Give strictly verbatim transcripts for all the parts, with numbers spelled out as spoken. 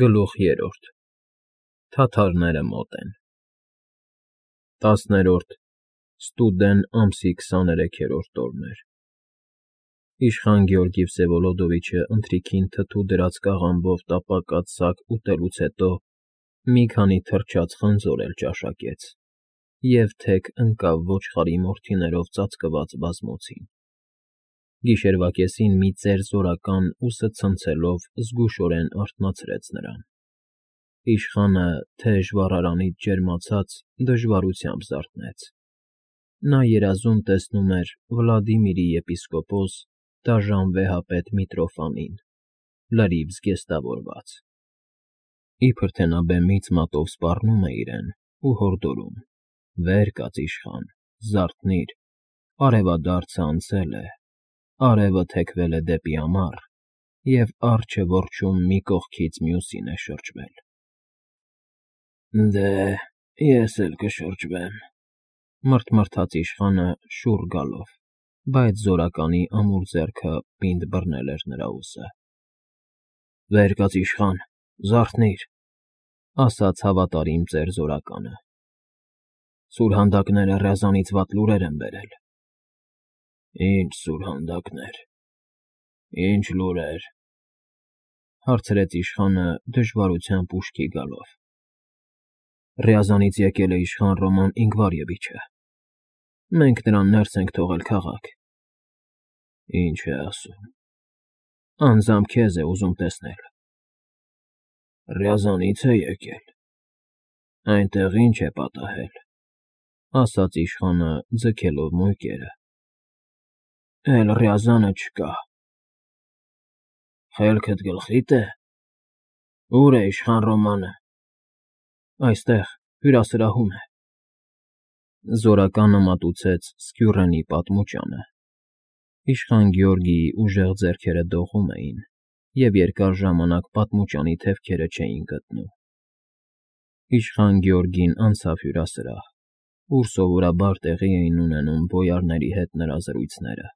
Գլուխ երրորդ Թաթարները մոտ են։ Տասներորդ ստուդեն ամսի քսաներեքերորդ օրն էր։ Իշխան Գեորգի Վսևոլոդովիչը ընթրիքին թթու դրած կաղամբով տապակած սակ ուտելուց հետո մի քանի թրջած խնձոր էլ ճաշակեց և թեք ընկավ ոչխարի մորթիներով ծածկված բազմոցին։ Գիշերվա կեսին մի ծեր զորական ուսը ցնցելով զգուշորեն արթնացրեց նրան։ Իշխանը, թեժ վառարանից ջերմացած, դժվարությամբ զարթնեց։ Նա երազում տեսնում էր Վլադիմիրի եպիսկոպոս դաժան վեհապետ Միտրոֆանին, լրիվ զգեստավորված։ Իբր թե նա բեմից մատով սպառնում է իրեն ու հորդորում. «Վեր կաց, իշխան, զարթնի՛ր, արևադարձը անցել է, արևը թեքվել է դեպի ամառ, և արջը որջում մի կողքից մյուսին է շրջվել»։ «Դե, ես էլ կշրջվեմ,֊ մռթմռթաց իշխանը շուռ գալով, բայց զորականի ամուր ձեռքը պինդ բռնել էր նրա ուսը։ «Վեր կաց, իշխան, զարթնի՛ր,֊ ասաց հավատարիմ ծեր զորականը։ Սուրհանդակները ռյազանից վատ լուրեր են բերել»։ «Ի՞նչ սուրհանդակներ, ի՞նչ լուրեր,֊ հարցրեց իշխանը դժվարությամբ ուշքի գալով։ «Ռյազանից եկել է իշխան Ռոման Ինգվարևիչը։ Մենք նրան ներս ենք թողել քաղաք»։ «Ի՞նչ է ասում»։ «Անձամբ քեզ է ուզում տեսնել»։ «Ռյազանից է եկել, այնտեղ ի՞նչ է պատահել», ասաց իշխանը ձգելով մույկերը։ «Էլ Ռյազանը չկա»։ «Խելքդ գլխի՞դ է։ Ո՞ւր է իշխան Ռոմանը»։ «Այստեղ, հյուրասրահում է»։ Զորականը մատուցեց Սկյուռենի պատմուճանը։ Իշխան Գեորգիի ուժեղ ձեռքերը դողում էին, և երկար ժամանակ պատմուճանի թևքերը չէին գտնում։ Իշխան Գեորգին անցավ հյուրասրահ, ուր սովորաբար տեղի էին ունենում բոյարների հետ նրա զրույցները։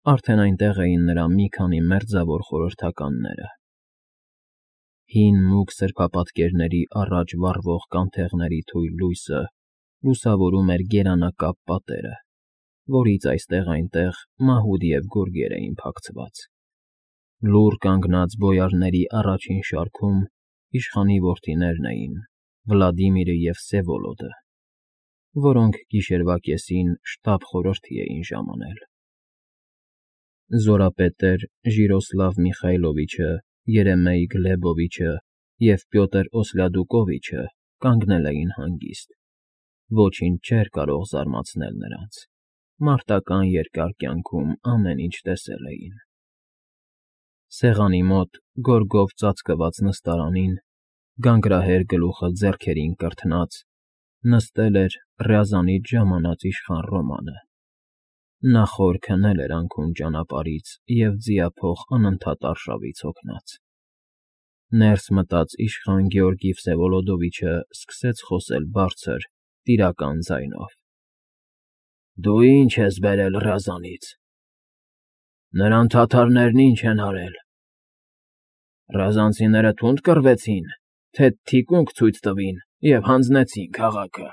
Արդեն այնտեղ էին նրա մի քանի մերձավոր խորհրդականները։ Հին մուգ սրբապատկերների առաջ վառվող կանթեղների թույլ լույսը լուսավորում էր գերանակապ պատերը, որից այստեղ֊այնտեղ մահուդ և գորգեր էին փակցված։ Լուռ կանգնած բոյարների առաջին շարքում իշխանի որդիներն էին՝ Վլադիմիրը և Վսևոլոդը, որոնք գիշերվա կեսին շտապ խորհրդի էին ժամանել։ Զորապետեր Ժիրոսլավ Միխայլովիչը, Երեմեյ Գլեբովիչը և Պյոտր Օսլյադուկովիչը կանգնել էին հանգիստ։ Ոչինչ չէր կարող զարմացնել նրանց, մարտական երկար կյանքում ամեն ինչ տեսել էին։ Սեղանի մոտ, գորգով ծածկված նստարանին, գանգրահեր գլուխը ձեռքերին կրթնած, նստել էր Ռյազանից ժամանած իշխան Ռոմանը։ Նա խոր քնել էր անքուն ճանապարհից և ձիափող անընդհատ արշավից հոգնած։ Ներս մտած իշխան Գեորգի Վսևոլոդովիչը սկսեց խոսել բարձր, տիրական ձայնով. «Դու ի՞նչ ես բերել Ռյազանից։ Նրան թաթարներն ի՞նչ են արել։ Ռյազանցիները թունդ կռվեցին, թե թիկունք ցույց տվին և հանձնեցին քաղաքը»։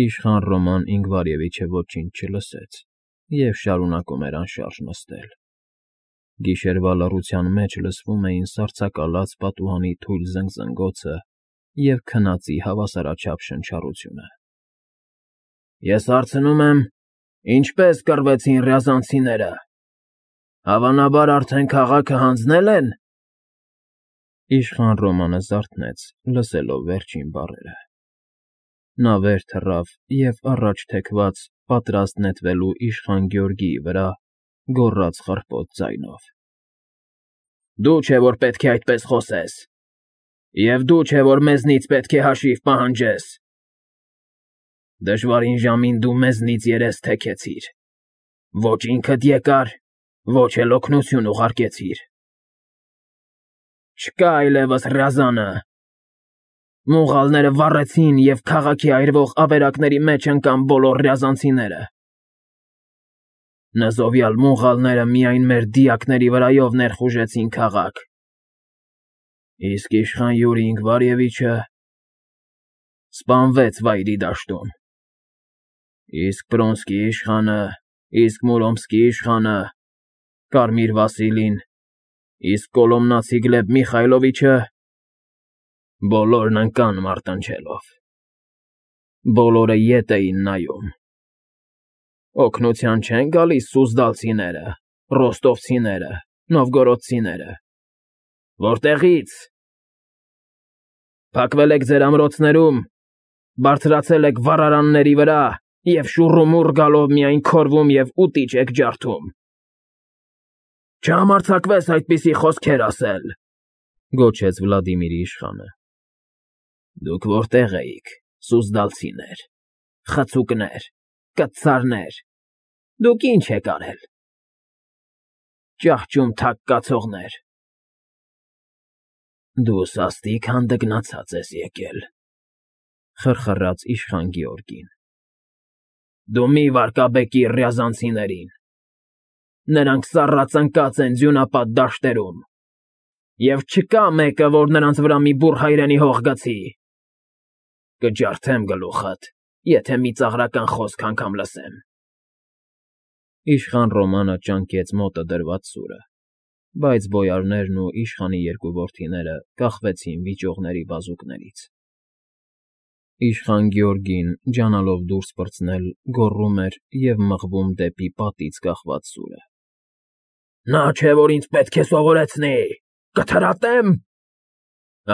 Իշխան Ռոման Ինգվարևիչը ոչինչ չլսեց և շարունակում էր անշարժ նստել։ Գիշերվա լռության մեջ լսվում էին սառցակալած պատուհանի թույլ զնգզնգոցը և քնածի հավասարաչափ շնչառությունը։ «Ես հարցնում եմ, ինչպե՞ս կռվեցին ռյազանցիները։ Հավանաբար արդեն քաղաքը հանձնե՞լ են»։ Իշխան Ռոմանը զարթնեց, լսելով վերջին բառերը։ Նա վեր թռավ և առաջ թեքված, պատրաստ նետվելու իշխան Գեորգիի վրա, գոռաց խռպոտ ձայնով. «Դու չէ, որ պետք է այդպես խոսես, և դու չէ, որ մեզնից պետք է հաշիվ պահանջես։ Դժվարին ժամին դու մեզնից երես թեքեցիր, ոչ ինքդ եկար, ոչ էլ օգնություն ուղարկեցիր։ Չկա այլևս Ռյազանը։ Մունղալները վառեցին, և քաղաքի այրվող ավերակների մեջ ընկան բոլոր ռյազանցիները։ Նզովյալ մունղալները միայն մեր դիակների վրայով ներխուժեցին քաղաք։ Իսկ իշխան Յուրի Ինգվարևիչը սպանվեց Վայրի դաշտում, իսկ Պրոնսկի իշխանը, իսկ Մուրոմսկի իշխանը, Կարմիր Վասիլին, իսկ Կոլոմնացի Գլեբ Միխայլովիչը բոլորն ընկան մարտնչելով, բոլորը ետ էին նայում, օգնության չեն գալիս սուզդալցիները, ռոստովցիները, նովգորոդցիները, որտեղի՞ց։ Փակվել եք ձեր ամրոցներում, բարձրացել եք վառարանների վրա և շուռումուռ գալով միայն քորվում և ուտիչ եք ջարդում։ Չհամարձակվես այդպիսի խոսքեր ասել, գոչեց Վլադիմիրի իշխանը։ Դուք որտեղ էիք, սուզդալցիներ, խցուկներ, կծարներ, դուք ինչ եք արել։ Ճահճում թակ կացողներ։ Դու սաստիկ հանդգնացած ես եկել, խրխռաց իշխան Գեորգին։ Դու մի վարկաբեկիր ռյազանցիներին, նրանք սառած ընկած են ձյունապատ դաշտերում, և չկա մեկը, որ նրանց վրա մի բուռ հայրենի հող գցի։ Կջարդեմ գլուխդ, եթե մի ծաղրական խոսք անգամ լսեմ։ Իշխան Ռոմանը ճանկեց մոտը դրված սուրը, բայց բոյարներն ու իշխանի երկու որդիները կախվեցին վիճողների բազուկներից։ Իշխան Գեորգին, ջանալով դուրս պրծնել, գոռում էր և մղվում դեպի պատից կախված սուրը։ Նա չէ, որ ինձ պետք է սովորեցնի, կթրատեմ։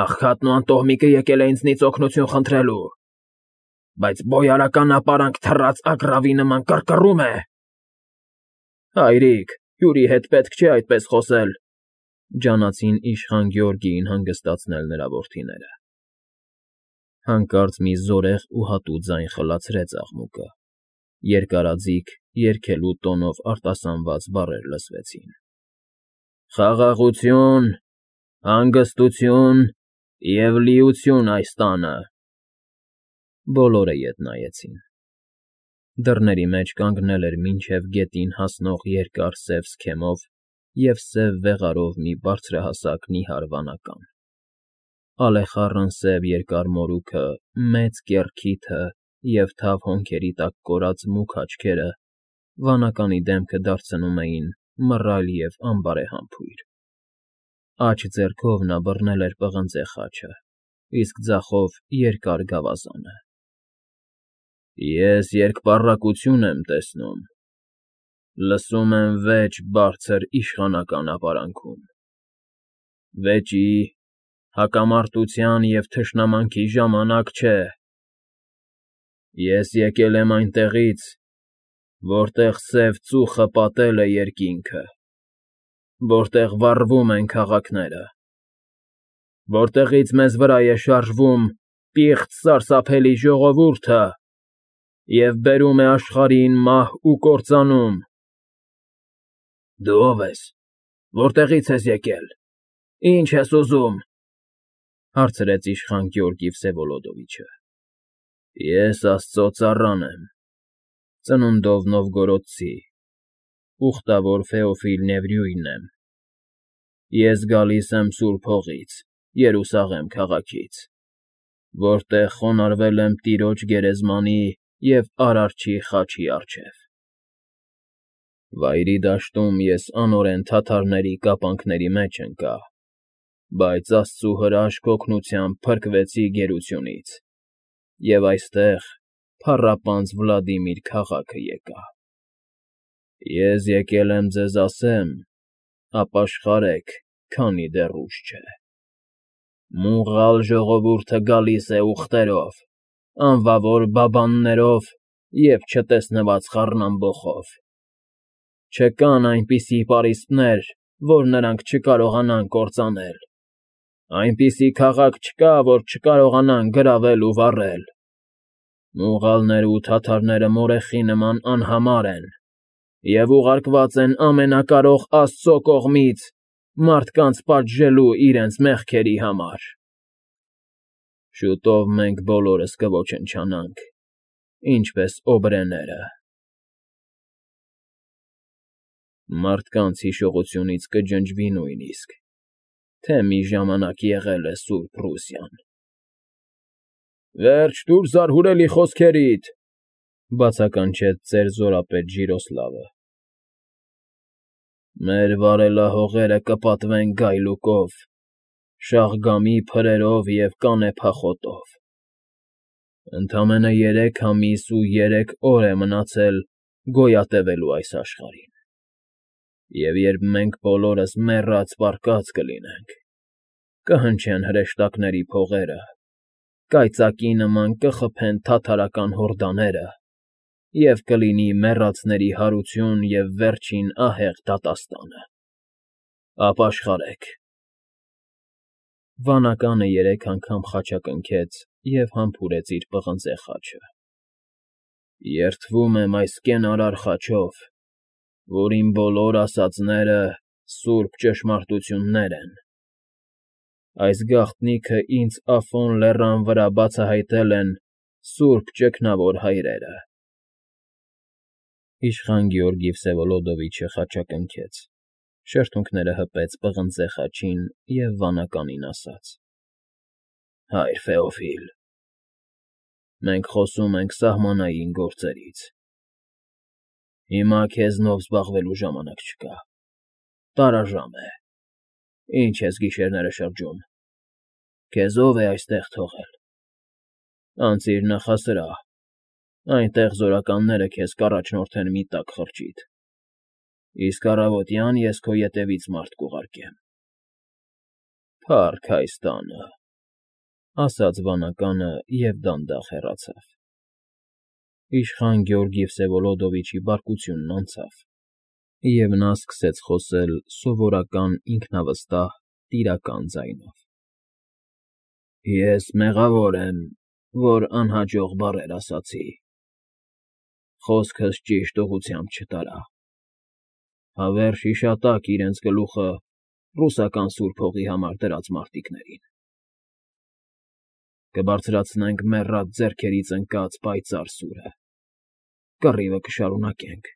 Աղքատն ու անտոհմիկը եկել է ինձնից օգնություն խնդրելու, բայց բոյարական ապարանք թռած ագռավի նման կռկռում է։ Հայրիկ, Յուրի հետ պետք չէ այդպես խոսել, ջանացին իշխան Գեորգիին հանգստացնել նրա որդիները։ Հանկարծ մի զորեղ ու հատուկ ձայն խլացրեց աղմուկը, երկարաձիգ, երգելու տոնով արտասանված բառեր լսվեցին. Խաղաղություն, հանգստություն և լիություն այս տանը։ Բոլորը ետ նայեցին։ Դռների մեջ կանգնել էր մինչև գետին հասնող երկար սև սքեմով և սև վեղարով մի բարձրահասակ նիհար վանական, ալեխառն սև երկար մորուքը, մեծ կեռ քիթը և թավ հոնքերի տակ կորած մուգ աչքերը վանականի դեմքը դարձնում էին մռայլ և անբարեհամբույր։ Աջ ձեռքով նա բռնել էր պղնձե խաչը, իսկ ձախով երկար գավազանը։ Ես երկպառակություն եմ տեսնում, լսում եմ վեճ բարձր իշխանական ապարանքում, վեճի, հակամարտության և թշնամանքի ժամանակ չէ։ Ես եկել եմ այնտեղից, որտեղ սև ծուխը պատել է երկինքը, որտեղ վառվում են քաղաքները, որտեղից մեզ վրա է շարժվում պիղծ սարսափելի ժողովուրդը և բերում է աշխարհին մահ ու կործանում։ Դու ո՞վ ես, որտեղից ես եկել, ինչ ես ուզում, հարցրեց իշխան Գեորգի Վսևոլոդովիչը։ Ես Աստծո ծառան եմ, ծնունդով նովգորոդցի, ուխտավոր Ֆեոֆիլ Նևրյուին եմ։ Ես գալիս եմ Սուրբ Հողից, Երուսաղեմ քաղաքից, որտեղ խոնարհվել եմ տիրոջ գերեզմանի և Արարչի խաչի առջև։ Վայրի դաշտում ես անօրեն թաթարների կապանքների մեջ ընկա, բայց Աստծու հրաշք օգնությամբ փրկվեցի գերությունից, և այստեղ փառապանծ Վլադիմիր քաղաքը եկա։ Ես եկել եմ ձեզ ասեմ. ապաշխարեք, քանի դեռ ուշ չէ։ Մուղալ ժողովուրդը գալիս է ուղտերով, անվավոր բաբաններով և չտեսնված խառնամբոխով։ Չկան այնպիսի պարիսպներ, որ նրանք չկարողանան կործանել, այնպիսի քաղաք չկա, որ չկարողանան գրավել ու վառել։ Մուղալները ու թաթարները մորեխի նման անհամար են և ուղարկված են ամենակարող Աստծո կողմից մարդկանց պատժելու իրենց մեղքերի համար։ Շուտով մենք բոլորս կոչնչանանք, ինչպես օբրեները։ Մարդկանց հիշողությունից կջնջվի նույնիսկ, թե մի ժամանակ եղել է Սուրբ Ռուսիան։ ֊ Վերջ տուր զարհուրելի խոսքերիդ,֊ բացականչեց ծեր զորապետ Ժիրոսլավը։ ֊ Մեր վարելահողերը կպատվեն գայլուկով, շաղգամի փրերով և կանեփախոտով. ընդամենը երեք ամիս ու երեք օր է մնացել գոյատևելու այս աշխարհին, և երբ մենք բոլորս մեռած պառկած կլինենք, կհնչեն հրեշտակների փողերը, կայծակի նման կխփեն թաթարական հորդաները, և կլինի մեռածների հարություն և վերջին ահեղ դատաստանը… Ապաշխարեք… Վանականը երեք անգամ խաչակնքեց և համբուրեց իր պղնձե խաչը։ ֊ Երդվում եմ այս կենարար խաչով, որին բոլոր ասածները սուրբ ճշմարտություններ են… Այս գաղտնիքը ինձ Աֆոն լեռան վրա բացահայտել են սուրբ ճգնավոր հայրերը… Իշխան Գեորգի Վսևոլոդովիչը խաչակնքեց, շրթունքները հպեց պղնձե խաչին և վանականին ասաց. ֊ Հայր Ֆեոֆիլ, մենք խոսում ենք սահմանային գործերից… Հիմա քեզնով զբաղվելու ժամանակ չկա, տարաժամ է, ինչ ես գիշերները շրջում, քեզ ո՞վ է այստեղ թողել… Անցիր նախասրահ, այնտեղ զորականները քեզ կառաջնորդեն մի տաք խրճիթ, իսկ առավոտյան ես քո ետևից մարդ կուղարկեմ… ֊ Փառք հայ ստանը,֊ ասաց վանականը և դանդաղ հեռացավ։ Իշխան Գեորգի Վսևոլոդովիչի բարկությունն անցավ, և նա սկսեց խոսել սովորական ինքնավստահ տիրական ձայնով. ֊ Ես մեղավոր եմ, որ անհաջող բառեր ասացի, խոսքս ճիշտ ուղղությամբ չտարա, հավերժ հիշատակ իրենց գլուխը ռուսական սուրբ հողի համար դրած մարտիկներին… Կբարձրացնենք մեռած ձեռքերից ընկած պայծառ սուրը, կռիվը կշարունակենք,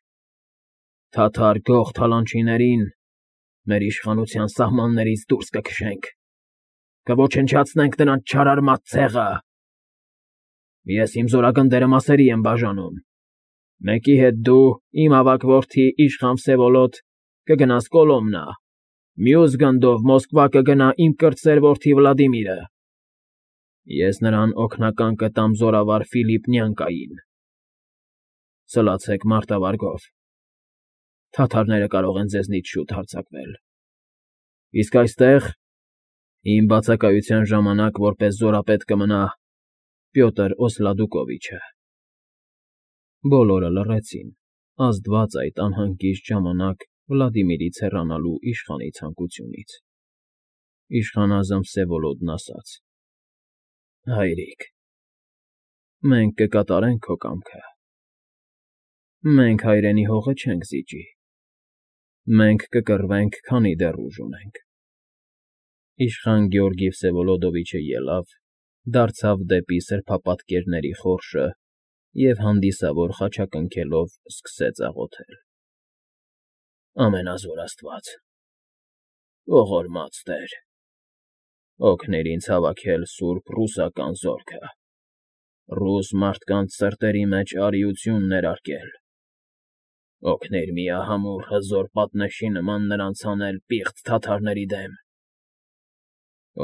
թաթար գող թալանչիներին մեր իշխանության սահմաններից դուրս կքշենք, կոչնչացնենք նրանց չարարմատ ցեղը… Ես իմ զորագնդերը մասերի եմ բաժանում, մեկի հետ դու, իմ ավագ որդի Իշխան Վսևոլոդ, կգնաս Կոլոմնա, մյուս գնդով Մոսկվա կգնա իմ կրտսեր որդի Վլադիմիրը… Ես նրան օգնական կտամ զորավար Ֆիլիպ Նյանկային… Սլացեք մարտավարգով, թաթարները կարող են ձեզնից շուտ հարձակվել… Իսկ այստեղ, իմ բացակայության ժամանակ որպես զորապետ կմնա Պյոտր Օսլադուկովիչը… Բոլորը լռեցին, ազդված այդ անհանգիստ ժամանակ Վլադիմիրից հեռանալու իշխանի ցանկությունից… Իշխանազն Վսևոլոդն ասաց. ֊ Հայրիկ, մենք կկատարենք քո կամքը… Մենք հայրենի հողը չենք զիջի… Մենք կկռվենք, քանի դեռ ուժ ունենք… Իշխան Գեորգի Վսևոլոդովիչը ելավ, դարձավ դեպի սրբապատկերների խորշը և հանդիսավոր խաչակնքելով սկսեց աղոթել. Ամենազոր աստված, ողորմած Տեր, օգնիր ինձ հավաքել սուրբ ռուսական զորքը, ռուս մարդկանց սրտերի մեջ արիություն ներարկել, օգնիր միահամուռ հզոր պատնեշի նման նրանց հանել պիղծ թաթարների դեմ,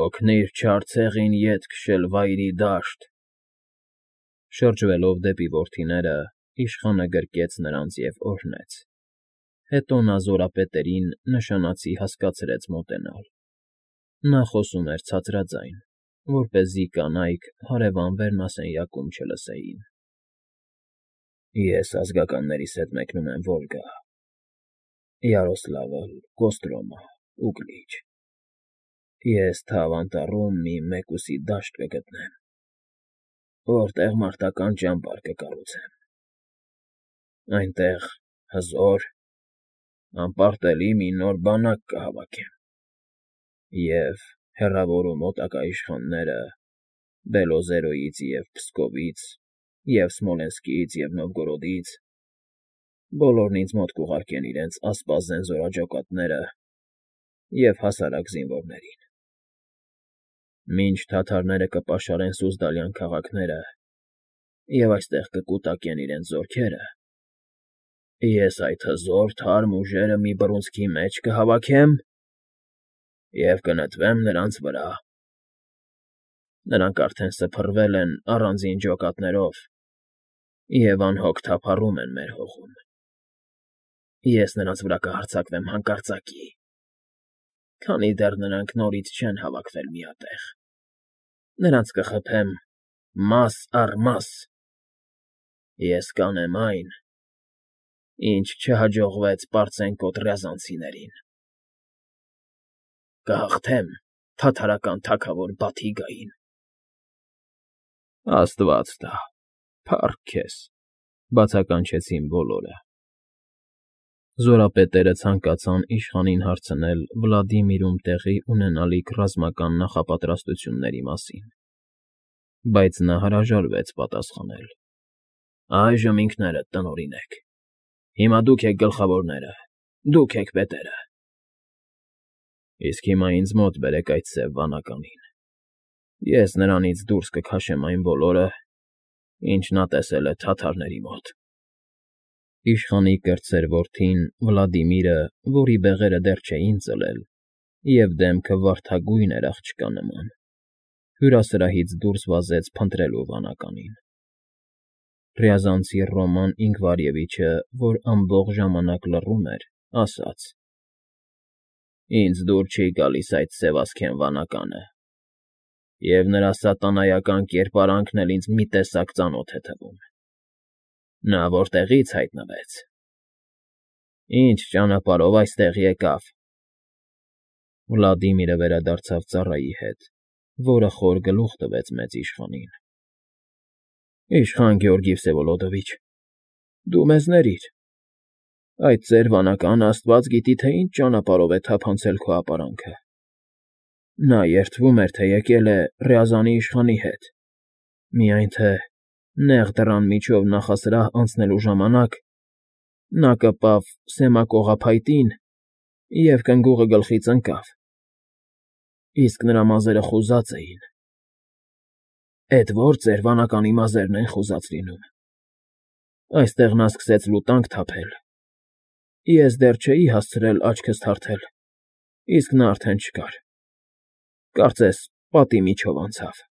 օգնիր չար ցեղին ետ քշել Վայրի դաշտ… Շրջվելով դեպի որդիները, իշխանը գրկեց նրանց և օրհնեց, հետո նա զորապետերին նշանածի հասկացրեց մոտենալ… Նա խոսում էր ցածրաձայն, որպեսզի կանայք հարևան վերնասենյակում չլսեին. ֊ Ես ազգականներիս հետ մեկնում եմ Վոլգա, Յարոսլավլ, Կոստրոմա, Ուգլիչ… Ես Թավ Անտառում մի մեկուսի դաշտ կգտնեմ, որտեղ մարտական ճամբար կկառուցեմ, այնտեղ հզոր, անպարտելի մի նոր բանակ կհավաքեմ և, հեռավոր ու մոտակա իշխանները Բելոզերոյից և Փսկովից և Սմոլենսկից և Նովգորոդից, բոլորն ինձ մոտ կուղարկեն իրենց ասպազեն զորաճակատները և հասարակ զինվորներին… Մինչ թաթարները կպաշարեն Սուզդալյան քաղաքները և այստեղ կկուտակեն իրենց զորքերը, ես այդ հզոր թարմ ուժերը մի բռունցքի մեջ կհավաքեմ և կնետվեմ նրանց վրա։ Նրանք արդեն սփռվել են առանձին ջոկատներով և անհոգ թափառում են մեր հողում։ Ես նրանց վրա կհարձակվեմ հանկարծակի, քանի դեռ նրանք նորից չեն հավաքվել միատեղ, նրանց կխփեմ մաս առ մաս, ես կանեմ այն, ինչ չհաջողվեց պարծենկոտ ռյազանցիներին, կհաղթեմ թաթարական թագավոր Բաթիգային։ ֊ Աստված տա, փառք քեզ,֊ բացականչեցին բոլորը։ Զորապետերը ցանկացան իշխանին հարցնել Վլադիմիրում տեղի ունենալիք ռազմական նախապատրաստությունների մասին, բայց նա հրաժարվեց պատասխանել։ ֊ Այժմ ինքներդ տնօրինեք, հիմա դուք եք գլխավորները, դուք եք պետերը։ ֊ Իսկ հիմա ինձ մոտ բերեք այդ սև վանականին, ես նրանից դուրս կքաշեմ այն բոլորը, ինչ նա տեսել է թաթարների մոտ։ Իշխանի կրտսեր որդին Վլադիմիրը, որի բեղերը դեռ չէին ծլել և դեմքը վարդագույն էր աղջկա նման, հյուրասրահից դուրս վազեց փնտրելու վանականին։ Ռյազանցի Ռոման Ինգվարևիչը, որ ամբողջ ժամանակ լռում էր, ասաց. «Ինձ դուր չի գալիս այդ սևասքեն վանականը, և նրա սատանայական կերպարանքն էլ ինձ մի տեսակ ծանոթ է թվում։ Նա որտեղի՞ց հայտնվեց։ Ինչ ճանապարհով այստեղ եկավ։ ֊ Վլադիմիրը վերադարձավ ծառայի հետ, որը խոր գլուխ տվեց մեծ իշխանին։ ֊ Իշխան Գեորգի Վսևոլոդովիչ, դու մեզ ների՛ր, այդ ծեր վանականը աստված գիտի, թե ինչ ճանապարհով է թափանցել քո ապարանքը։ Նա երդվում էր, թե եկել է Ռյազանի իշխանի հետ, միայն թե նեղ դռան միջով նախասրահ անցնելու ժամանակ նա կպավ սեմակողափայտին և կնգուղը գլխից ընկավ, իսկ նրա մազերը խուզած էին։ ֊ Էդ ո՞ր ծեր վանականի մազերն են խուզած լինում։ Այստեղ նա սկսեց լուտանք թափել, ես դեռ չէի հասցրել աչքս թարթել, իսկ նա արդեն չկար, կարծես պատի միջով անցավ։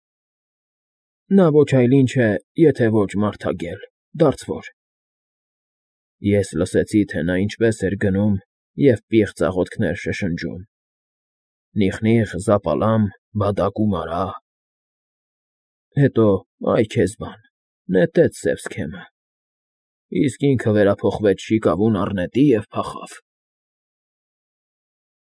Նա ոչ այլ ինչ է, եթե ոչ մարդագել, դարձվոր։ Ես լսեցի, թե նա ինչպես էր գնում և պիղծ աղոթքներ շշնջում. «Նիխնիխ, Զապալամ, Բադակում արա…»։ Հետո, այ քեզ բան, նետեց սև սքեմը, իսկ ինքը վերափոխվեց շիկավուն առնետի և փախավ։